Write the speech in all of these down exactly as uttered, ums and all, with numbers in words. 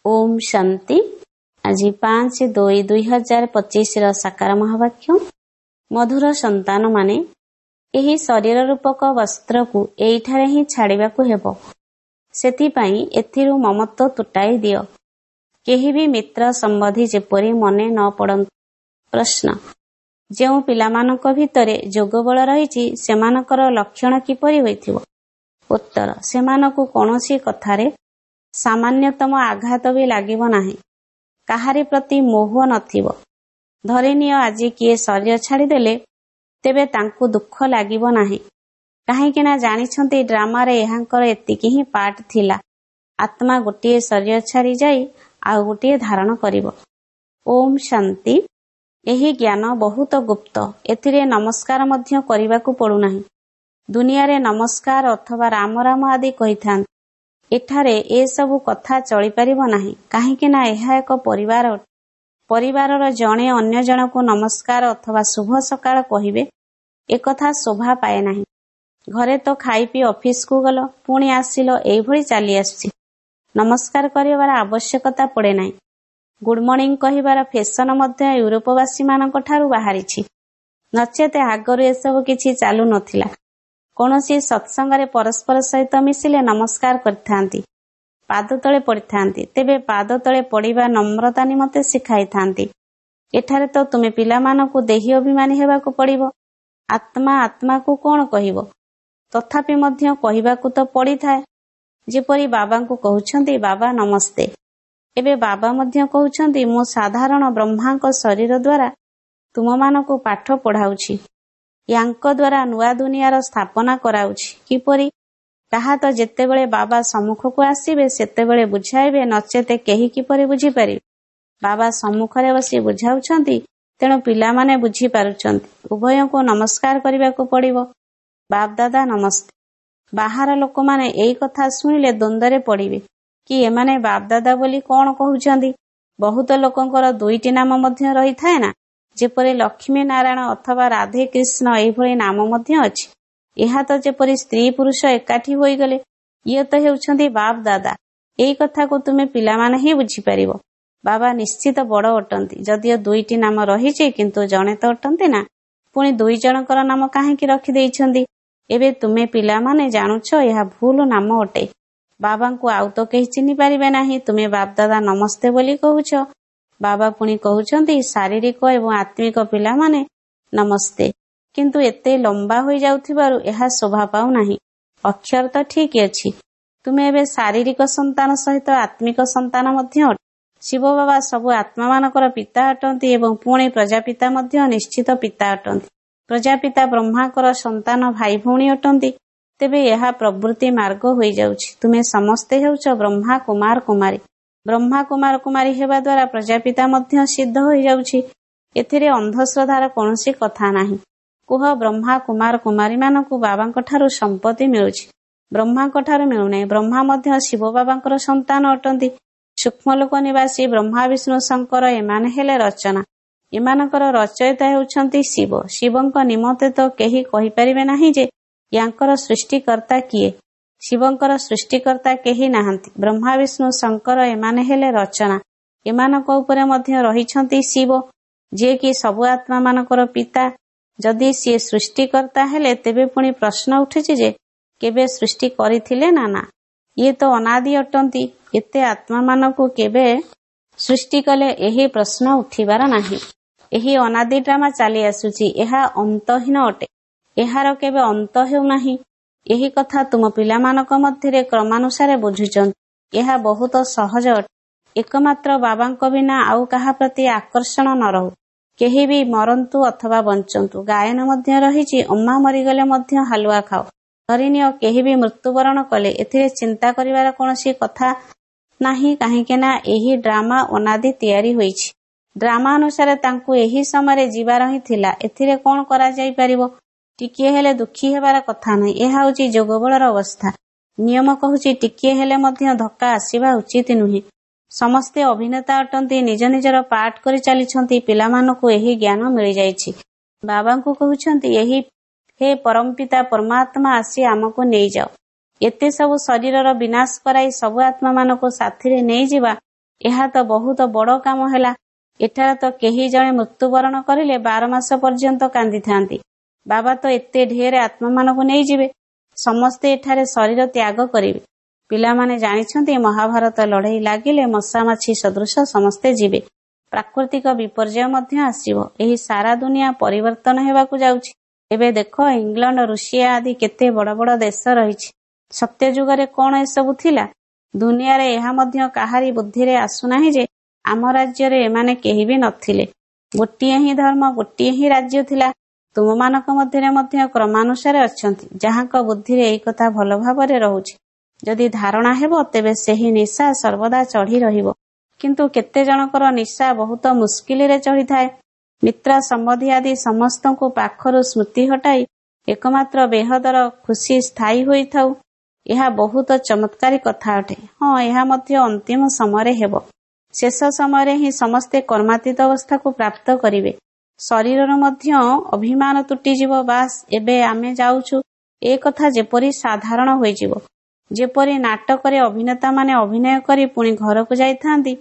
ଓମ୍ ଶାନ୍ତି। ଆଜି ପାଞ୍ଚ ଦୁଇ ଦୁଇ ହଜାର ପଚିଶର ସାକାର ମହାବାକ୍ୟ। ମଧୁର ସନ୍ତାନମାନେ, ଏହି ଶରୀର ରୂପକ ବସ୍ତ୍ରକୁ ଏଇଠାରେ ହିଁ ଛାଡ଼ିବାକୁ ହେବ। ସେଥିପାଇଁ ଏଥିରୁ ମମତ୍ୱ ତୁଟାଇ ଦିଅ। କେହି ବି ମିତ୍ର ସମ୍ବନ୍ଧୀ ଯେପରି ମନେ ନ ପଡ଼ନ୍ତୁ। ପ୍ରଶ୍ନ, ଯେଉଁ ପିଲାମାନଙ୍କ ଭିତରେ ଯୋଗବଳ ରହିଛି, ସେମାନଙ୍କର ଲକ୍ଷଣ କିପରି ହୋଇଥିବ? ଉତ୍ତର, ସେମାନଙ୍କୁ କୌଣସି କଥାରେ ସାମାନ୍ୟତମ ଆଘାତ ବି ଲାଗିବ ନାହିଁ। କାହାରି ପ୍ରତି ମୋହ ନଥିବ। ଧରିନିଅ ଆଜି କିଏ ଶରୀର ଛାଡ଼ିଦେଲେ, ତେବେ ତାଙ୍କୁ ଦୁଃଖ ଲାଗିବ ନାହିଁ। କାହିଁକି ନା ଜାଣିଛନ୍ତି ଡ୍ରାମାରେ ଏହାଙ୍କର ଏତିକି ହିଁ ପାର୍ଟ ଥିଲା। ଆତ୍ମା ଗୋଟିଏ ଶରୀର ଛାଡ଼ି ଯାଇ ଆଉ ଗୋଟିଏ ଧାରଣ କରିବ। ଓମ୍ ଶାନ୍ତି। ଏହି ଜ୍ଞାନ ବହୁତ ଗୁପ୍ତ। ଏଥିରେ ନମସ୍କାର ମଧ୍ୟ କରିବାକୁ ପଡୁନାହିଁ। ଦୁନିଆରେ ନମସ୍କାର ଅଥବା ରାମ ରାମ ଆଦି କହିଥାନ୍ତି। ଏଠାରେ ଏସବୁ କଥା ଚଳିପାରିବ ନାହିଁ। କାହିଁକି ନା ଏହା ଏକ ପରିବାର ଅଟେ। ପରିବାରର ଜଣେ ଅନ୍ୟ ଜଣକୁ ନମସ୍କାର ଅଥବା ଶୁଭ ସକାଳ କହିବେ, ଏକଥା ଶୋଭା ପାଏ ନାହିଁ। ଘରେ ତ ଖାଇ ପିଇ ଅଫିସକୁ ଗଲ, ପୁଣି ଆସିଲ, ଏଇଭଳି ଚାଲି ଆସୁଛି। ନମସ୍କାର କରିବାର ଆବଶ୍ୟକତା ପଡ଼େ ନାହିଁ। ଗୁଡ୍ ମର୍ଣ୍ଣିଂ କହିବାର ଫେସନ ମଧ୍ୟ ୟୁରୋପବାସୀମାନଙ୍କ ଠାରୁ ବାହାରିଛି। ନଚେତ ଆଗରୁ ଏସବୁ କିଛି ଚାଲୁ ନଥିଲା। କୌଣସି ସତ୍ସଙ୍ଗରେ ପରସ୍ପର ସହିତ ମିଶିଲେ ନମସ୍କାର କରିଥାନ୍ତି, ପାଦ ତଳେ ପଡ଼ିଥାନ୍ତି। ତେବେ ପାଦ ତଳେ ପଡ଼ିବା ନମ୍ରତା ନିମନ୍ତେ ଶିଖାଇଥାନ୍ତି। ଏଠାରେ ତ ତୁମେ ପିଲାମାନଙ୍କୁ ଦେହୀ ଅଭିମାନୀ ହେବାକୁ ପଡ଼ିବ। ଆତ୍ମା ଆତ୍ମାକୁ କଣ କହିବ? ତଥାପି ମଧ୍ୟ କହିବାକୁ ତ ପଡ଼ିଥାଏ। ଯେପରି ବାବାଙ୍କୁ କହୁଛନ୍ତି, ବାବା ନମସ୍ତେ। ଏବେ ବାବା ମଧ୍ୟ କହୁଛନ୍ତି, ମୁଁ ସାଧାରଣ ବ୍ରହ୍ମାଙ୍କ ଶରୀର ଦ୍ୱାରା ତୁମମାନଙ୍କୁ ପାଠ ପଢ଼ାଉଛି, ୟାଙ୍କ ଦ୍ୱାରା ନୂଆ ଦୁନିଆର ସ୍ଥାପନା କରାଉଛି। କିପରି ତାହା ତ ଯେତେବେଳେ ବାବା ସମ୍ମୁଖକୁ ଆସିବେ ସେତେବେଳେ ବୁଝାଇବେ, ନଚେତ କେହି କିପରି ବୁଝିପାରିବେ? ବାବା ସମ୍ମୁଖରେ ବସି ବୁଝାଉଛନ୍ତି, ତେଣୁ ପିଲାମାନେ ବୁଝିପାରୁଛନ୍ତି। ଉଭୟଙ୍କୁ ନମସ୍କାର କରିବାକୁ ପଡ଼ିବ। ବାପଦାଦା ନମସ୍ତେ। ବାହାର ଲୋକମାନେ ଏଇ କଥା ଶୁଣିଲେ ଦ୍ୱନ୍ଦ୍ୱରେ ପଡ଼ିବେ କି ଏମାନେ ବାପଦାଦା ବୋଲି କଣ କହୁଛନ୍ତି? ବହୁତ ଲୋକଙ୍କର ଦୁଇଟି ନାମ ମଧ୍ୟ ରହିଥାଏ ନା, ଯେପରି ଲକ୍ଷ୍ମୀ ନାରାୟଣ ଅଥବା ରାଧେ କୃଷ୍ଣ, ଏଇଭଳି ନାମ ମଧ୍ୟ ଅଛି। ଏହା ତ ଯେପରି ସ୍ତ୍ରୀ ପୁରୁଷ ଏକାଠି ହୋଇଗଲେ। ଇଏ ତ ହେଉଛନ୍ତି ବାପ ଦାଦା। ଏଇ କଥାକୁ ତୁମେ ପିଲାମାନେ ହିଁ ବୁଝିପାରିବ। ବାବା ନିଶ୍ଚିତ ବଡ଼ ଅଟନ୍ତି। ଯଦିଓ ଦୁଇଟି ନାମ ରହିଛି, କିନ୍ତୁ ଜଣେ ତ ଅଟନ୍ତି ନା, ପୁଣି ଦୁଇ ଜଣଙ୍କର ନାମ କାହିଁକି ରଖିଦେଇଛନ୍ତି? ଏବେ ତୁମେ ପିଲାମାନେ ଜାଣୁଛ ଏହା ଭୁଲ ନାମ ଅଟେ। ବାବାଙ୍କୁ ଆଉ ତ କେହି ଚିହ୍ନି ପାରିବେ ନାହିଁ। ତୁମେ ବାପଦାଦା ନମସ୍ତେ ବୋଲି କହୁଛ। ବାବା ପୁଣି କହୁଛନ୍ତି, ଶାରୀରିକ ଏବଂ ଆତ୍ମିକ ପିଲାମାନେ ନମସ୍ତେ। କିନ୍ତୁ ଏତେ ଲମ୍ବା ହୋଇଯାଉଥିବାରୁ ଏହା ଶୋଭା ପାଉନାହିଁ। ଅକ୍ଷର ତ ଠିକ ଅଛି। ତୁମେ ଏବେ ଶାରୀରିକ ସନ୍ତାନ ସହିତ ଆତ୍ମିକ ସନ୍ତାନ ମଧ୍ୟ ଅଟେ। ଶିବ ବାବା ସବୁ ଆତ୍ମାମାନଙ୍କର ପିତା ଅଟନ୍ତି ଏବଂ ପୁଣି ପ୍ରଜାପିତା ମଧ୍ୟ ନିଶ୍ଚିତ ପିତା ଅଟନ୍ତି। ପ୍ରଜାପିତା ବ୍ରହ୍ମାଙ୍କର ସନ୍ତାନ ଭାଇ ଭଉଣୀ ଅଟନ୍ତି। ତେବେ ଏହା ପ୍ରବୃତ୍ତି ମାର୍ଗ ହୋଇଯାଉଛି। ତୁମେ ସମସ୍ତେ ହେଉଛ ବ୍ରହ୍ମା କୁମାର କୁମାରୀ। ବ୍ରହ୍ମା କୁମାର କୁମାରୀ ହେବା ଦ୍ୱାରା ପ୍ରଜାପିତା ମଧ୍ୟ ସିଦ୍ଧ ହୋଇଯାଉଛି। ଏଥିରେ ଅନ୍ଧଶ୍ରଦ୍ଧାର କୌଣସି କଥା ନାହିଁ। କୁହ, ବ୍ରହ୍ମା କୁମାର କୁମାରୀମାନଙ୍କୁ ବାବାଙ୍କ ଠାରୁ ସମ୍ପତ୍ତି ମିଳୁଛି, ବ୍ରହ୍ମାଙ୍କ ଠାରୁ ମିଳୁନାହିଁ। ବ୍ରହ୍ମା ମଧ୍ୟ ଶିବ ବାବାଙ୍କର ସନ୍ତାନ ଅଟନ୍ତି। ସୂକ୍ଷ୍ମଲୋକ ନିବାସୀ ବ୍ରହ୍ମା, ବିଷ୍ଣୁ, ଶଙ୍କର ଏମାନେ ହେଲେ ରଚନା। ଏମାନଙ୍କର ରଚୟିତା ହେଉଛନ୍ତି ଶିବ। ଶିବଙ୍କ ନିମନ୍ତେ ତ କେହି କହିପାରିବେ ନାହିଁ ଯେ ୟାଙ୍କର ସୃଷ୍ଟିକର୍ତ୍ତା କିଏ। ଶିବଙ୍କର ସୃଷ୍ଟିକର୍ତ୍ତା କେହି ନାହାନ୍ତି। ବ୍ରହ୍ମା, ବିଷ୍ଣୁ, ଶଙ୍କର ଏମାନେ ହେଲେ ରଚନା। ଏମାନଙ୍କ ଉପରେ ମଧ୍ୟ ରହିଛନ୍ତି ଶିବ, ଯିଏକି ସବୁ ଆତ୍ମାମାନଙ୍କର ପିତା। ଯଦି ସିଏ ସୃଷ୍ଟିକର୍ତ୍ତା ହେଲେ, ତେବେ ପୁଣି ପ୍ରଶ୍ନ ଉଠୁଛି ଯେ କେବେ ସୃଷ୍ଟି କରିଥିଲେ ନା ନା? ଇଏ ତ ଅନାଦି ଅଟନ୍ତି। ଏତେ ଆତ୍ମାମାନଙ୍କୁ କେବେ ସୃଷ୍ଟି କଲେ, ଏହି ପ୍ରଶ୍ନ ଉଠିବାର ନାହିଁ। ଏହି ଅନାଦି ଡ୍ରାମା ଚାଲି ଆସୁଛି। ଏହା ଅନ୍ତହୀନ ଅଟେ। ଏହାର କେବେ ଅନ୍ତ ହେଉନାହିଁ। ଏହି କଥା ତୁମ ପିଲାମାନଙ୍କ ମଧ୍ୟରେ କ୍ରମାନୁସାରେ ବୁଝୁଛନ୍ତି। ଏହା ବହୁତ ସହଜ ଅଟେ। ଏକମାତ୍ର ବାବାଙ୍କ ବିନା ଆଉ କାହା ପ୍ରତି ଆକର୍ଷଣ ନ ରହୁ। କେହି ବି ମରନ୍ତୁ ଅଥବା ବଞ୍ଚନ୍ତୁ। ଗାୟନ ମଧ୍ୟ ରହିଛି, ଅମ୍ମା ମରିଗଲେ ମଧ୍ୟ ହାଲୁଆ ଖାଅ। ଧରିନିଅ କେହି ବି ମୃତ୍ୟୁବରଣ କଲେ, ଏଥିରେ ଚିନ୍ତା କରିବାର କୌଣସି କଥା ନାହିଁ। କାହିଁକି ନା ଏହି ଡ୍ରାମା ଅନାଦି ତିଆରି ହୋଇଛି। ଡ୍ରାମା ଅନୁସାରେ ତାଙ୍କୁ ଏହି ସମୟରେ ଯିବାର ହିଁ ଥିଲା। ଏଥିରେ କଣ କରାଯାଇପାରିବ? ଟିକିଏ ହେଲେ ଦୁଃଖୀ ହେବାର କଥା ନାହିଁ। ଏହା ହେଉଛି ଯୋଗବଳର ଅବସ୍ଥା। ନିୟମ କହୁଛି ଟିକିଏ ହେଲେ ମଧ୍ୟ ଧକ୍କା ଆସିବା ଉଚିତ ନୁହେଁ। ସମସ୍ତେ ଅଭିନେତା ଅଟନ୍ତି, ନିଜ ନିଜର ପାଠ କରି ଚାଲିଛନ୍ତି। ପିଲାମାନଙ୍କୁ ଏହି ଜ୍ଞାନ ମିଳିଯାଇଛି। ବାବାଙ୍କୁ କହୁଛନ୍ତି, ଏହି ହେ ପରମପିତା ପରମାତ୍ମା, ଆସି ଆମକୁ ନେଇଯାଅ। ଏତେ ସବୁ ଶରୀରର ବିନାଶ କରାଇ ସବୁ ଆତ୍ମାମାନଙ୍କୁ ସାଥିରେ ନେଇଯିବା, ଏହା ତ ବହୁତ ବଡ଼ କାମ ହେଲା। ଏଠାରେ ତ କେହି ଜଣେ ମୃତ୍ୟୁବରଣ କରିଲେ ବାର ମାସ ପର୍ଯ୍ୟନ୍ତ କାନ୍ଦିଥାନ୍ତି। ବାବା ତ ଏତେ ଢେର ଆତ୍ମାମାନଙ୍କୁ ନେଇଯିବେ। ସମସ୍ତେ ଏଠାରେ ଶରୀର ତ୍ୟାଗ କରିବେ। ପିଲାମାନେ ଜାଣିଛନ୍ତି ମହାଭାରତ ଲଢ଼େଇ ଲାଗିଲେ ମଶା ମାଛି ସଦୃଶ ସମସ୍ତେ ଯିବେ। ପ୍ରାକୃତିକ ବିପର୍ଯ୍ୟୟ ମଧ୍ୟ ଆସିବ। ଏହି ସାରା ଦୁନିଆ ପରିବର୍ତ୍ତନ ହେବାକୁ ଯାଉଛି। ଏବେ ଦେଖ ଇଂଲଣ୍ଡ, ରୁଷିଆ ଆଦି କେତେ ବଡ଼ ବଡ଼ ଦେଶ ରହିଛି। ସତ୍ୟଯୁଗରେ କଣ ଏସବୁ ଥିଲା? ଦୁନିଆରେ ଏହା ମଧ୍ୟ କାହାରି ବୁଦ୍ଧିରେ ଆସୁନାହିଁ ଯେ ଆମ ରାଜ୍ୟରେ ଏମାନେ କେହି ବି ନଥିଲେ। ଗୋଟିଏ ହିଁ ଧର୍ମ, ଗୋଟିଏ ହିଁ ରାଜ୍ୟ ଥିଲା। ତୁମମାନଙ୍କ ମଧ୍ୟରେ ମଧ୍ୟ କ୍ରମାନୁସାରେ ଅଛନ୍ତି, ଯାହାଙ୍କ ବୁଦ୍ଧିରେ ଏହି କଥା ଭଲ ଭାବରେ ରହୁଛି। ଯଦି ଧାରଣା ହେବ ତେବେ ସେହି ନିଶା ସର୍ବଦା ଚଢ଼ି ରହିବ। କିନ୍ତୁ କେତେ ଜଣଙ୍କର ନିଶା ବହୁତ ମୁସ୍କିଲରେ ଚଢ଼ିଥାଏ। ମିତ୍ର ସମ୍ବନ୍ଧୀ ଆଦି ସମସ୍ତଙ୍କୁ ପାଖରୁ ସ୍ମୃତି ହଟାଇ ଏକମାତ୍ର ବେହଦର ଖୁସି ସ୍ଥାୟୀ ହୋଇଥାଉ। ଏହା ବହୁତ ଚମତ୍କାରୀ କଥା ଅଟେ। ହଁ, ଏହା ମଧ୍ୟ ଅନ୍ତିମ ସମୟରେ ହେବ। ଶେଷ ସମୟରେ ହିଁ ସମସ୍ତେ କର୍ମାତୀତ ଅବସ୍ଥାକୁ ପ୍ରାପ୍ତ କରିବେ। ଶରୀରର ମଧ୍ୟ ଅଭିମାନ ତୁଟିଯିବ। ବାସ୍, ଏବେ ଆମେ ଯାଉଛୁ, ଏ କଥା ଯେପରି ସାଧାରଣ ହୋଇଯିବ। ଯେପରି ନାଟକରେ ଅଭିନେତାମାନେ ଅଭିନୟ କରି ପୁଣି ଘରକୁ ଯାଇଥାନ୍ତି,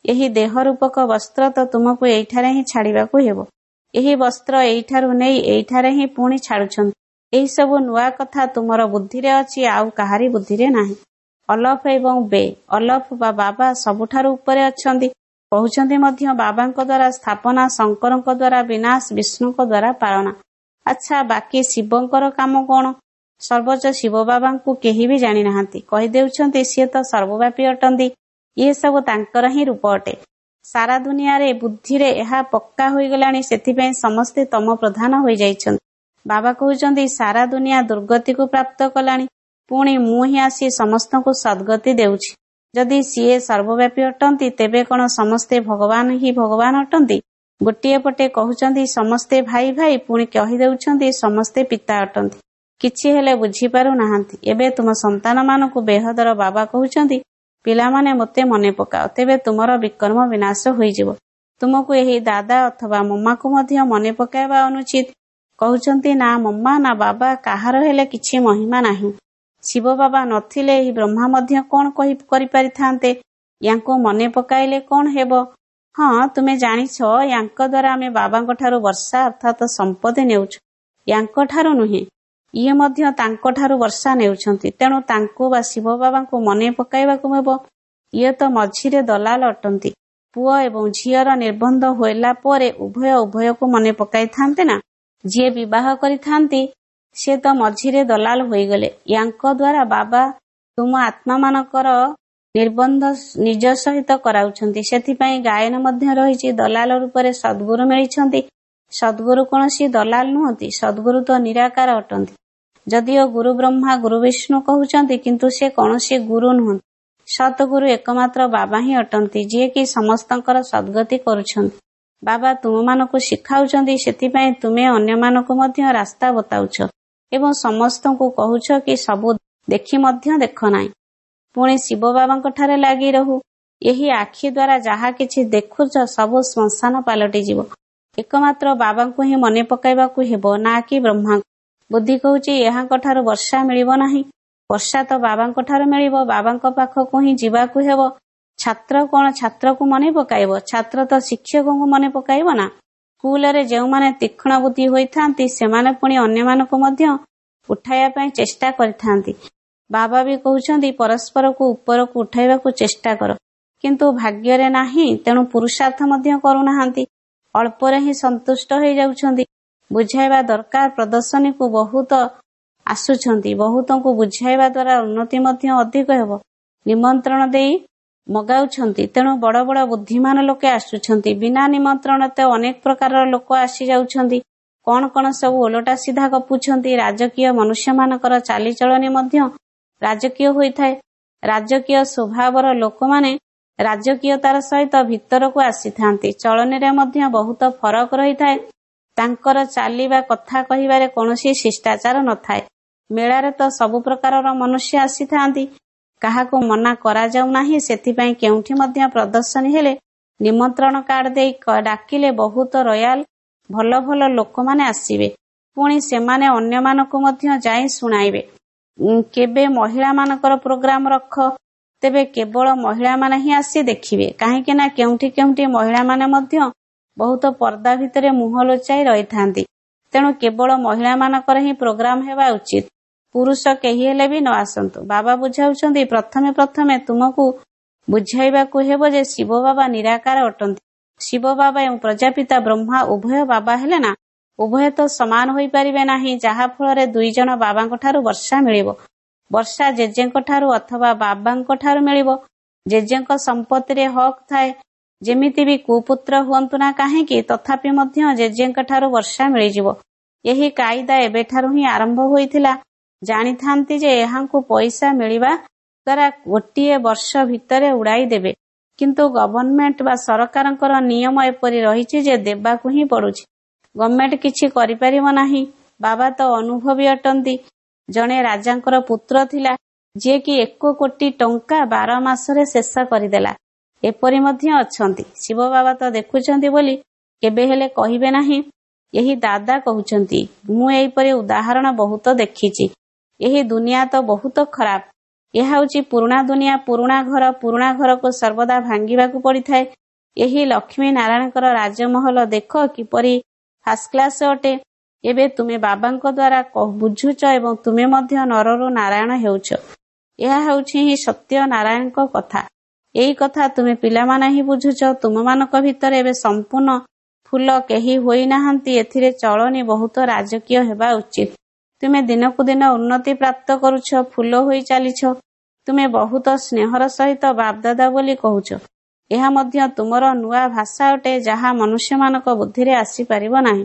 ଏହି ଦେହ ରୂପକ ବସ୍ତ୍ର ତ ତୁମକୁ ଏଇଠାରେ ହିଁ ଛାଡ଼ିବାକୁ ହେବ। ଏହି ବସ୍ତ୍ର ଏଇଠାରୁ ନେଇ ଏଇଠାରେ ହିଁ ପୁଣି ଛାଡୁଛନ୍ତି। ଏହିସବୁ ନୂଆ କଥା ତୁମର ବୁଦ୍ଧିରେ ଅଛି, ଆଉ କାହାରି ବୁଦ୍ଧିରେ ନାହିଁ। ଅଲଫ ଏବଂ ବେ, ଅଲଫ ବା ବାବା ସବୁଠାରୁ ଉପରେ ଅଛନ୍ତି। କହୁଛନ୍ତି ମଧ୍ୟ ବାବାଙ୍କ ଦ୍ୱାରା ସ୍ଥାପନା, ଶଙ୍କରଙ୍କ ଦ୍ୱାରା ବିନାଶ, ବିଷ୍ଣୁଙ୍କ ଦ୍ୱାରା ପାଳନା। ଆଚ୍ଛା, ବାକି ଶିବଙ୍କର କାମ କଣ? ସର୍ବୋଚ୍ଚ ଶିବ ବାବାଙ୍କୁ କେହି ବି ଜାଣିନାହାନ୍ତି। କହିଦେଉଛନ୍ତି ସିଏ ତ ସର୍ବବ୍ୟାପୀ ଅଟନ୍ତି। ଇଏ ସବୁ ତାଙ୍କର ହିଁ ରୂପ ଅଟେ। ସାରା ଦୁନିଆରେ ବୁଦ୍ଧିରେ ଏହା ପକ୍କା ହୋଇଗଲାଣି, ସେଥିପାଇଁ ସମସ୍ତେ ତମ ପ୍ରଧାନ ହୋଇଯାଇଛନ୍ତି। ବାବା କହୁଛନ୍ତି ସାରା ଦୁନିଆ ଦୁର୍ଗତିକୁ ପ୍ରାପ୍ତ କଲାଣି, ପୁଣି ମୁଁ ହିଁ ଆସି ସମସ୍ତଙ୍କୁ ସଦ୍ଗତି ଦେଉଛି। ଯଦି ସିଏ ସର୍ବବ୍ୟାପୀ ଅଟନ୍ତି, ତେବେ କଣ ସମସ୍ତେ ଭଗବାନ ହିଁ ଭଗବାନ ଅଟନ୍ତି? ଗୋଟିଏ ପଟେ କହୁଛନ୍ତି ସମସ୍ତେ ଭାଇ ଭାଇ, ପୁଣି କହିଦେଉଛନ୍ତି ସମସ୍ତେ ପିତା ଅଟନ୍ତି। କିଛି ହେଲେ ବୁଝିପାରୁ ନାହାନ୍ତି। ଏବେ ତୁମ ସନ୍ତାନମାନଙ୍କୁ ବେହଦର ବାବା କହୁଛନ୍ତି, ପିଲାମାନେ ମୋତେ ମନେ ପକାଅ, ତେବେ ତୁମର ବିକର୍ମ ବିନାଶ ହୋଇଯିବ। ତୁମକୁ ଏହି ଦାଦା ଅଥବା ମମ୍ମାକୁ ମଧ୍ୟ ମନେ ପକାଇବା ଅନୁଚିତ। କହୁଛନ୍ତି ନା ମମ୍ମା ନା ବାବା କାହାର ହେଲେ କିଛି ମହିମା ନାହିଁ। ଶିବ ବାବା ନଥିଲେ ଏହି ବ୍ରହ୍ମା ମଧ୍ୟ କଣ କହି କରିପାରିଥାନ୍ତେ? ୟାଙ୍କୁ ମନେ ପକାଇଲେ କଣ ହେବ? ହଁ, ତୁମେ ଜାଣିଛ ୟାଙ୍କ ଦ୍ୱାରା ଆମେ ବାବାଙ୍କ ଠାରୁ ବର୍ଷା ଅର୍ଥାତ ସମ୍ପତ୍ତି ନେଉଛୁ, ୟାଙ୍କ ଠାରୁ ନୁହେଁ। ଇଏ ମଧ୍ୟ ତାଙ୍କଠାରୁ ବର୍ଷା ନେଉଛନ୍ତି। ତେଣୁ ତାଙ୍କୁ ବା ଶିବ ବାବାଙ୍କୁ ମନେ ପକାଇବାକୁ ହେବ। ଇଏ ତ ମଝିରେ ଦଲାଲ ଅଟନ୍ତି। ପୁଅ ଏବଂ ଝିଅର ନିର୍ବନ୍ଧ ହେଲା ପରେ ଉଭୟ ଉଭୟକୁ ମନେ ପକାଇଥାନ୍ତେ ନା? ଯିଏ ବିବାହ କରିଥାନ୍ତି ସେ ତ ମଝିରେ ଦଲାଲ ହୋଇଗଲେ। ୟାଙ୍କ ଦ୍ୱାରା ବାବା ତୁମ ଆତ୍ମାମାନଙ୍କର ନିର୍ବନ୍ଧ ନିଜ ସହିତ କରାଉଛନ୍ତି। ସେଥିପାଇଁ ଗାୟନ ମଧ୍ୟ ରହିଛି। ଦଲାଲ ରୂପରେ ସଦ୍ଗୁରୁ ମିଳିଛନ୍ତି। ସଦ୍ଗୁରୁ କୌଣସି ଦଲାଲ ନୁହନ୍ତି। ସଦ୍ଗୁରୁ ତ ନିରାକାର ଅଟନ୍ତି। ଯଦିଓ ଗୁରୁ ବ୍ରହ୍ମା ଗୁରୁ ବିଷ୍ଣୁ କହୁଛନ୍ତି, କିନ୍ତୁ ସେ କୌଣସି ଗୁରୁ ନୁହନ୍ତି। ସତଗୁରୁ ଏକମାତ୍ର ବାବା ହିଁ ଅଟନ୍ତି, ଯିଏକି ସମସ୍ତଙ୍କର ସଦ୍ଗତି କରୁଛନ୍ତି। ବାବା ତୁମମାନଙ୍କୁ ଶିଖାଉଛନ୍ତି, ସେଥିପାଇଁ ତୁମେ ଅନ୍ୟମାନଙ୍କୁ ମଧ୍ୟ ରାସ୍ତା ବତାଉଛ ଏବଂ ସମସ୍ତଙ୍କୁ କହୁଛ କି ସବୁ ଦେଖି ମଧ୍ୟ ଦେଖ ନାହିଁ। ପୁଣି ଶିବ ବାବାଙ୍କ ଠାରେ ଲାଗି ରହୁ। ଏହି ଆଖି ଦ୍ୱାରା ଯାହା କିଛି ଦେଖୁଛ ସବୁ ଶ୍ମଶାନ ପାଲଟିଯିବ। ଏକମାତ୍ର ବାବାଙ୍କୁ ହିଁ ମନେ ପକାଇବାକୁ ହେବ, ନା କି ବ୍ରହ୍ମାଙ୍କୁ। ବୁଦ୍ଧି କହୁଛି ଏହାଙ୍କ ଠାରୁ ବର୍ଷା ମିଳିବ ନାହିଁ। ବର୍ଷା ତ ବାବାଙ୍କ ଠାରୁ ମିଳିବ। ବାବାଙ୍କ ପାଖକୁ ହିଁ ଯିବାକୁ ହେବ। ଛାତ୍ର କଣ ଛାତ୍ରକୁ ମନେ ପକାଇବ? ଛାତ୍ର ତ ଶିକ୍ଷକଙ୍କୁ ମନେ ପକାଇବ ନା? ସ୍କୁଲରେ ଯେଉଁମାନେ ତୀକ୍ଷ୍ଣ ବୁଦ୍ଧି ହୋଇଥାନ୍ତି, ସେମାନେ ପୁଣି ଅନ୍ୟମାନଙ୍କୁ ମଧ୍ୟ ଉଠାଇବା ପାଇଁ ଚେଷ୍ଟା କରିଥାନ୍ତି। ବାବା ବି କହୁଛନ୍ତି ପରସ୍ପରକୁ ଉପରକୁ ଉଠାଇବାକୁ ଚେଷ୍ଟା କର, କିନ୍ତୁ ଭାଗ୍ୟରେ ନାହିଁ, ତେଣୁ ପୁରୁଷାର୍ଥ ମଧ୍ୟ କରୁନାହାନ୍ତି। ଅଳ୍ପରେ ହିଁ ସନ୍ତୁଷ୍ଟ ହେଇଯାଉଛନ୍ତି। ବୁଝାଇବା ଦରକାର। ପ୍ରଦର୍ଶନୀକୁ ବହୁତ ଆସୁଛନ୍ତି। ବହୁତଙ୍କୁ ବୁଝାଇବା ଦ୍ୱାରା ଉନ୍ନତି ମଧ୍ୟ ଅଧିକ ହେବ। ନିମନ୍ତ୍ରଣ ଦେଇ ମଗାଉଛନ୍ତି, ତେଣୁ ବଡ଼ ବଡ଼ ବୁଦ୍ଧିମାନ ଲୋକେ ଆସୁଛନ୍ତି। ବିନା ନିମନ୍ତ୍ରଣ ତ ଅନେକ ପ୍ରକାରର ଲୋକ ଆସି ଯାଉଛନ୍ତି। କଣ କଣ ସବୁ ଓଲଟା ସିଧା ଗପୁଛନ୍ତି। ରାଜକୀୟ ମନୁଷ୍ୟମାନଙ୍କର ଚାଲିଚଳନି ମଧ୍ୟ ରାଜକୀୟ ହୋଇଥାଏ। ରାଜକୀୟ ସ୍ୱଭାବର ଲୋକମାନେ ରାଜକୀୟତାର ସହିତ ଭିତରକୁ ଆସିଥାନ୍ତି। ଚଳନିରେ ମଧ୍ୟ ବହୁତ ଫରକ ରହିଥାଏ। ତାଙ୍କର ଚାଲିବା, କଥା କହିବାରେ କୌଣସି ଶିଷ୍ଟାଚାର ନଥାଏ। ମେଳାରେ ତ ସବୁ ପ୍ରକାରର ମନୁଷ୍ୟ ଆସିଥାନ୍ତି। କାହାକୁ ମନା କରାଯାଉ ନାହିଁ। ସେଥିପାଇଁ କେଉଁଠି ମଧ୍ୟ ପ୍ରଦର୍ଶନୀ ହେଲେ ନିମନ୍ତ୍ରଣ କାର୍ଡ ଦେଇ ଡାକିଲେ ବହୁତ ରୟାଲ ଭଲ ଭଲ ଲୋକମାନେ ଆସିବେ। ପୁଣି ସେମାନେ ଅନ୍ୟମାନଙ୍କୁ ମଧ୍ୟ ଯାଇ ଶୁଣାଇବେ। କେବେ ମହିଳାମାନଙ୍କର ପ୍ରୋଗ୍ରାମ ରଖ, ତେବେ କେବଳ ମହିଳାମାନେ ହିଁ ଆସି ଦେଖିବେ। କାହିଁକି ନା କେଉଁଠି କେଉଁଠି ମହିଳାମାନେ ମଧ୍ୟ ବହୁତ ପର୍ଦ୍ଦା ଭିତରେ ମୁହଁ ଲୁଚାଇ ରହିଥାନ୍ତି। ତେଣୁ କେବଳ ମହିଳାମାନଙ୍କର ହିଁ ପ୍ରୋଗ୍ରାମ ହେବା ଉଚିତ, ପୁରୁଷ କେହି ହେଲେ ବି ନ ଆସନ୍ତୁ। ବାବା ବୁଝାଉଛନ୍ତି, ପ୍ରଥମେ ପ୍ରଥମେ ତୁମକୁ ବୁଝାଇବାକୁ ହେବ ଯେ ଶିବ ବାବା ନିରାକାର ଅଟନ୍ତି। ଶିବ ବାବା ଏବଂ ପ୍ରଜାପିତା ବ୍ରହ୍ମା ଉଭୟ ବାବା ହେଲେ ନା, ଉଭୟ ତ ସମାନ ହୋଇପାରିବେ ନାହିଁ, ଯାହା ଫଳରେ ଦୁଇ ଜଣ ବାବାଙ୍କ ଠାରୁ ବର୍ଷା ମିଳିବ। ବର୍ଷା ଜେଜେଙ୍କ ଠାରୁ ଅଥବା ବାବାଙ୍କ ଠାରୁ ମିଳିବ। ଜେଜେଙ୍କ ସମ୍ପତ୍ତିରେ ହକ୍ ଥାଏ। ଯେମିତି ବି କୁପୁତ୍ର ହୁଅନ୍ତୁ ନା କାହିଁକି, ତଥାପି ମଧ୍ୟ ଜେଜେଙ୍କ ଠାରୁ ବର୍ଷା ମିଳିଯିବ। ଏହି କାଇଦା ଏବେଠାରୁ ହିଁ ଆରମ୍ଭ ହୋଇଥିଲା। ଜାଣିଥାନ୍ତି ଯେ ଏହାଙ୍କୁ ପଇସା ମିଳିବା ଦ୍ୱାରା ଗୋଟିଏ ବର୍ଷ ଭିତରେ ଉଡ଼ାଇ ଦେବେ, କିନ୍ତୁ ଗଭର୍ଣ୍ଣମେଣ୍ଟ ବା ସରକାରଙ୍କର ନିୟମ ଏପରି ରହିଛି ଯେ ଦେବାକୁ ହିଁ ପଡୁଛି। ଗଭର୍ଣ୍ଣମେଣ୍ଟ କିଛି କରିପାରିବ ନାହିଁ। ବାବା ତ ଅନୁଭବୀ ଅଟନ୍ତି। ଜଣେ ରାଜାଙ୍କର ପୁତ୍ର ଥିଲା, ଯିଏକି ଏକ କୋଟି ଟଙ୍କା ବାର ମାସରେ ଶେଷ କରିଦେଲା। ଏପରି ମଧ୍ୟ ଅଛନ୍ତି। ଶିବ ବାବା ତ ଦେଖୁଛନ୍ତି ବୋଲି କେବେ ହେଲେ କହିବେ ନାହିଁ। ଏହି ଦାଦା କହୁଛନ୍ତି, ମୁଁ ଏହିପରି ଉଦାହରଣ ବହୁତ ଦେଖିଛି। ଏହି ଦୁନିଆ ତ ବହୁତ ଖରାପ। ଏହା ହେଉଛି ପୁରୁଣା ଦୁନିଆ, ପୁରୁଣା ଘର। ପୁରୁଣା ଘରକୁ ସର୍ବଦା ଭାଙ୍ଗିବାକୁ ପଡ଼ିଥାଏ। ଏହି ଲକ୍ଷ୍ମୀ ନାରାୟଣଙ୍କର ରାଜମହଲ ଦେଖ କିପରି ଫାର୍ଷ୍ଟ କ୍ଲାସ ଅଟେ। ଏବେ ତୁମେ ବାବାଙ୍କ ଦ୍ୱାରା ବୁଝୁଛ ଏବଂ ତୁମେ ମଧ୍ୟ ନରରୁ ନାରାୟଣ ହେଉଛ। ଏହା ହେଉଛି ହିଁ ସତ୍ୟ ନାରାୟଣଙ୍କ କଥା। ଏଇ କଥା ତୁମେ ପିଲାମାନେ ହିଁ ବୁଝୁଛ। ତୁମମାନଙ୍କ ଭିତରେ ଏବେ ସମ୍ପୂର୍ଣ୍ଣ ଫୁଲ କେହି ହୋଇନାହାନ୍ତି। ଏଥିରେ ଚଳନି ବହୁତ ରାଜକୀୟ ହେବା ଉଚିତ। ତୁମେ ଦିନକୁ ଦିନ ଉନ୍ନତି ପ୍ରାପ୍ତ କରୁଛ, ଫୁଲ ହୋଇ ଚାଲିଛ। ତୁମେ ବହୁତ ସ୍ନେହର ସହିତ ବାପଦାଦା ବୋଲି କହୁଛ। ଏହା ମଧ୍ୟ ତୁମର ନୂଆ ଭାଷା ଅଟେ, ଯାହା ମନୁଷ୍ୟମାନଙ୍କ ବୁଦ୍ଧିରେ ଆସିପାରିବ ନାହିଁ।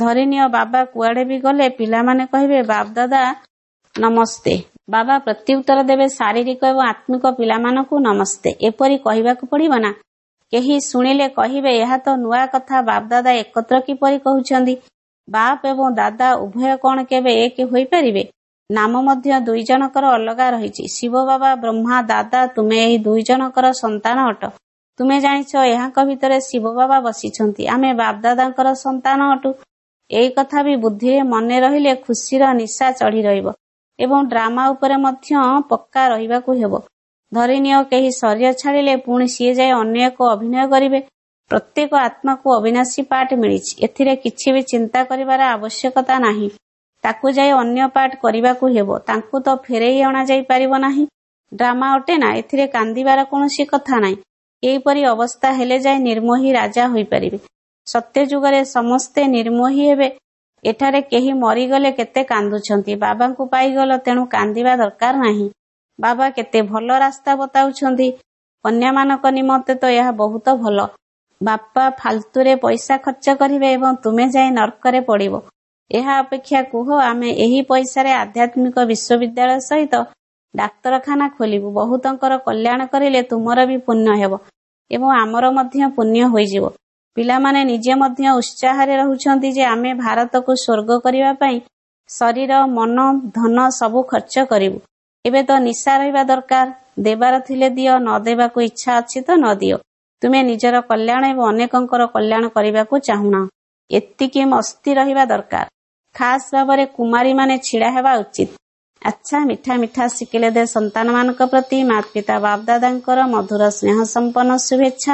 ଧରିନିଅ ବାବା କୁଆଡେ ବି ଗଲେ ପିଲାମାନେ କହିବେ, ବାପଦାଦା ନମସ୍ତେ। ବାବା ପ୍ରତ୍ୟୁତ୍ତର ଦେବେ, ଶାରୀରିକ ଏବଂ ଆତ୍ମିକ ପିଲାମାନଙ୍କୁ ନମସ୍ତେ। ଏପରି କହିବାକୁ ପଡିବ ନା? କେହି ଶୁଣିଲେ କହିବେ, ଏହା ତ ନୂଆ କଥା, ବାପଦାଦା ଏକତ୍ର କିପରି କହୁଛନ୍ତି? ବାପ ଏବଂ ଦାଦା ଉଭୟ କଣ କେବେ ଏକ ହୋଇପାରିବେ? ନାମ ମଧ୍ୟ ଦୁଇ ଜଣଙ୍କର ଅଲଗା ରହିଛି। ଶିବ ବାବା, ବ୍ରହ୍ମା, ଦାଦା, ତୁମେ ଏହି ଦୁଇ ଜଣଙ୍କର ସନ୍ତାନ ଅଟ। ତୁମେ ଜାଣିଛ ଏହାଙ୍କ ଭିତରେ ଶିବ ବାବା ବସିଛନ୍ତି। ଆମେ ବାପଦାଦାଙ୍କର ସନ୍ତାନ ଅଟୁ। ଏଇ କଥା ବି ବୁଦ୍ଧିରେ ମନେ ରହିଲେ ଖୁସିର ନିଶା ଚଢି ରହିବ ଏବଂ ଡ୍ରାମା ଉପରେ ମଧ୍ୟ ପକ୍କା ରହିବାକୁ ହେବ। ଧରିନିଅ କେହି ଶରୀର ଛାଡ଼ିଲେ ପୁଣି ସିଏ ଯାଇ ଅନ୍ୟ ଏକ ଅଭିନୟ କରିବେ। ପ୍ରତ୍ୟେକ ଆତ୍ମାକୁ ଅବିନାଶୀ ପାଠ ମିଳିଛି, ଏଥିରେ କିଛି ବି ଚିନ୍ତା କରିବାର ଆବଶ୍ୟକତା ନାହିଁ। ତାକୁ ଯାଇ ଅନ୍ୟ ପାଠ କରିବାକୁ ହେବ, ତାଙ୍କୁ ତ ଫେରେଇ ଅଣାଯାଇ ପାରିବ ନାହିଁ। ଡ୍ରାମା ଅଟେ ନା, ଏଥିରେ କାନ୍ଦିବାର କୌଣସି କଥା ନାହିଁ। ଏହିପରି ଅବସ୍ଥା ହେଲେ ଯାଇ ନିର୍ମୋହୀ ରାଜା ହୋଇପାରିବେ। ସତ୍ୟଯୁଗରେ ସମସ୍ତେ ନିର୍ମୋହୀ ହେବେ। ଏଠାରେ କେହି ମରିଗଲେ କେତେ କାନ୍ଦୁଛନ୍ତି। ବାବାଙ୍କୁ ପାଇଗଲ, ତେଣୁ କାନ୍ଦିବା ଦରକାର ନାହିଁ। ବାବା କେତେ ଭଲ ରାସ୍ତା ବତାଉଛନ୍ତି। କନ୍ୟାମାନଙ୍କ ନିମନ୍ତେ ତ ଏହା ବହୁତ ଭଲ। ବାପା ଫାଲତୁରେ ପଇସା ଖର୍ଚ୍ଚ କରିବେ ଏବଂ ତୁମେ ଯାଇ ନର୍କରେ ପଡ଼ିବ। ଏହା ଅପେକ୍ଷା କୁହ, ଆମେ ଏହି ପଇସାରେ ଆଧ୍ୟାତ୍ମିକ ବିଶ୍ୱବିଦ୍ୟାଳୟ ସହିତ ଡାକ୍ତରଖାନା ଖୋଲିବୁ। ବହୁତଙ୍କର କଲ୍ୟାଣ କରିଲେ ତୁମର ବି ପୁଣ୍ୟ ହେବ ଏବଂ ଆମର ମଧ୍ୟ ପୁଣ୍ୟ ହୋଇଯିବ। ପିଲାମାନେ ନିଜେ ମଧ୍ୟ ଉତ୍ସାହରେ ରହୁଛନ୍ତି ଯେ ଆମେ ଭାରତକୁ ସ୍ୱର୍ଗ କରିବା ପାଇଁ ଶରୀର, ମନ, ଧନ ସବୁ ଖର୍ଚ୍ଚ କରିବୁ। ଏବେ ତ ନିଶା ରହିବା ଦରକାର। ଦେବାର ଥିଲେ ଦିଅ, ନ ଦେବାକୁ ଇଚ୍ଛା ଅଛି ତ ନ ଦିଅ। ତୁମେ ନିଜର କଲ୍ୟାଣ ଏବଂ ଅନେକଙ୍କର କଲ୍ୟାଣ କରିବାକୁ ଚାହୁଁନ, ଏତିକି ମସ୍ତି ରହିବା ଦରକାର। ଖାସ ଭାବରେ କୁମାରୀମାନେ ଛିଡ଼ା ହେବା ଉଚିତ। ଆଚ୍ଛା, ମିଠା ମିଠା ଶିଖିଲେ ଦେ ସନ୍ତାନମାନଙ୍କ ପ୍ରତି ମାତା ପିତା ବାପଦାଦାଙ୍କର ମଧୁର ସ୍ନେହ ସମ୍ପନ୍ନ ଶୁଭେଚ୍ଛା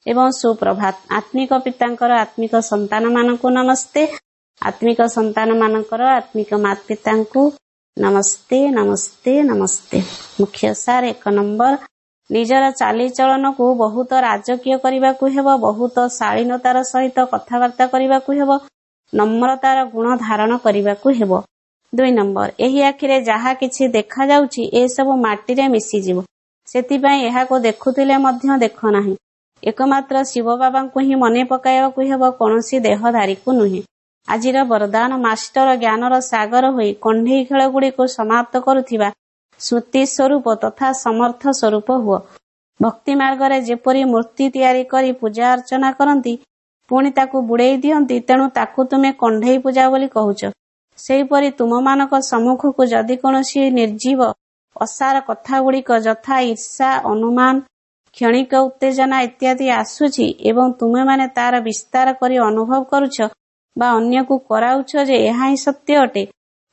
ଏବଂ ସୁପ୍ରଭାତ। ଆତ୍ମିକ ପିତାଙ୍କର ଆତ୍ମିକ ସନ୍ତାନମାନଙ୍କୁ ନମସ୍ତେ। ଆତ୍ମିକ ସନ୍ତାନମାନଙ୍କର ଆତ୍ମିକ ମାତା ପିତାଙ୍କୁ ନମସ୍ତେ, ନମସ୍ତେ, ନମସ୍ତେ। ମୁଖ୍ୟ ସାର୍, ଏକ ନମ୍ବର, ନିଜର ଚାଲିଚଳନକୁ ବହୁତ ରାଜକୀୟ କରିବାକୁ ହେବ, ବହୁତ ଶାଳୀନତାର ସହିତ କଥାବାର୍ତ୍ତା କରିବାକୁ ହେବ, ନମ୍ରତାର ଗୁଣ ଧାରଣ କରିବାକୁ ହେବ। ଦୁଇ ନମ୍ବର, ଏହି ଆଖିରେ ଯାହା କିଛି ଦେଖାଯାଉଛି ଏସବୁ ମାଟିରେ ମିଶିଯିବ, ସେଥିପାଇଁ ଏହାକୁ ଦେଖୁଥିଲେ ମଧ୍ୟ ଦେଖ ନାହିଁ। ଏକମାତ୍ର ଶିବ ବାବାଙ୍କୁ ହିଁ ମନେ ପକାଇବାକୁ ହେବ, କୌଣସି ଦେହଧାରୀକୁ ନୁହେଁ। ଆଜିର ବରଦାନ, ମାଷ୍ଟର ଜ୍ଞାନର ସାଗର ହୋଇ କଣ୍ଢେଇ ଖେଳଗୁଡ଼ିକୁ ସମାପ୍ତ କରୁଥିବା ସ୍ମୃତି ସ୍ୱରୂପ ତଥା ସମର୍ଥ ସ୍ୱରୂପ ହୁଅ। ଭକ୍ତି ମାର୍ଗରେ ଯେପରି ମୂର୍ତ୍ତି ତିଆରି କରି ପୂଜା ଅର୍ଚ୍ଚନା କରନ୍ତି, ପୁଣି ତାକୁ ବୁଡ଼େଇ ଦିଅନ୍ତି, ତେଣୁ ତାକୁ ତୁମେ କଣ୍ଢେଇ ପୂଜା ବୋଲି କହୁଛ। ସେହିପରି ତୁମମାନଙ୍କ ସମ୍ମୁଖକୁ ଯଦି କୌଣସି ନିର୍ଜୀବ ଅସାର କଥାଗୁଡ଼ିକ ଯଥା ଈର୍ଷା, ଅନୁମାନ, କ୍ଷଣିକ ଉତ୍ତେଜନା ଇତ୍ୟାଦି ଆସୁଛି ଏବଂ ତୁମେମାନେ ତାର ବିସ୍ତାର କରି ଅନୁଭବ କରୁଛ ବା ଅନ୍ୟକୁ କରାଉଛ ଯେ ଏହା ହିଁ ସତ୍ୟ ଅଟେ,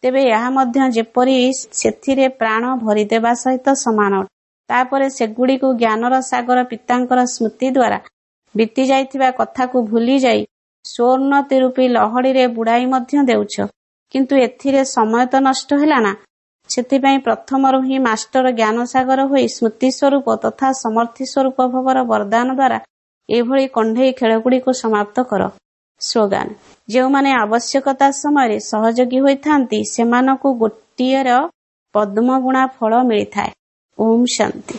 ତେବେ ଏହା ମଧ୍ୟ ଯେପରି ସେଥିରେ ପ୍ରାଣ ଭରିଦେବା ସହିତ ସମାନ ଅଟେ। ତାପରେ ସେଗୁଡ଼ିକୁ ଜ୍ଞାନର ସାଗର ପିତାଙ୍କର ସ୍ମୃତି ଦ୍ୱାରା ବିତି ଯାଇଥିବା କଥାକୁ ଭୁଲି ଯାଇ ସ୍ୱୋନ୍ନତି ରୂପୀ ଲହଡ଼ିରେ ବୁଡ଼ାଇ ମଧ୍ୟ ଦେଉଛ। କିନ୍ତୁ ଏଥିରେ ସମୟ ତ ନଷ୍ଟ ହେଲା ନା? ସେଥିପାଇଁ ପ୍ରଥମରୁ ହିଁ ମାଷ୍ଟର ଜ୍ଞାନସାଗର ହୋଇ ସ୍ମୃତି ସ୍ୱରୂପ ତଥା ସମର୍ଥି ସ୍ୱରୂପ ଭବର ବରଦାନ ଦ୍ୱାରା ଏଭଳି କଣ୍ଢେଇ ଖେଳଗୁଡ଼ିକୁ ସମାପ୍ତ କର। ସ୍ଲୋଗାନ: ଯେଉଁମାନେ ଆବଶ୍ୟକତା ସମୟରେ ସହଯୋଗୀ ହୋଇଥାନ୍ତି, ସେମାନଙ୍କୁ ଗୋଟିଏର ପଦ୍ମଗୁଣା ଫଳ ମିଳିଥାଏ। ଓମ୍ ଶାନ୍ତି।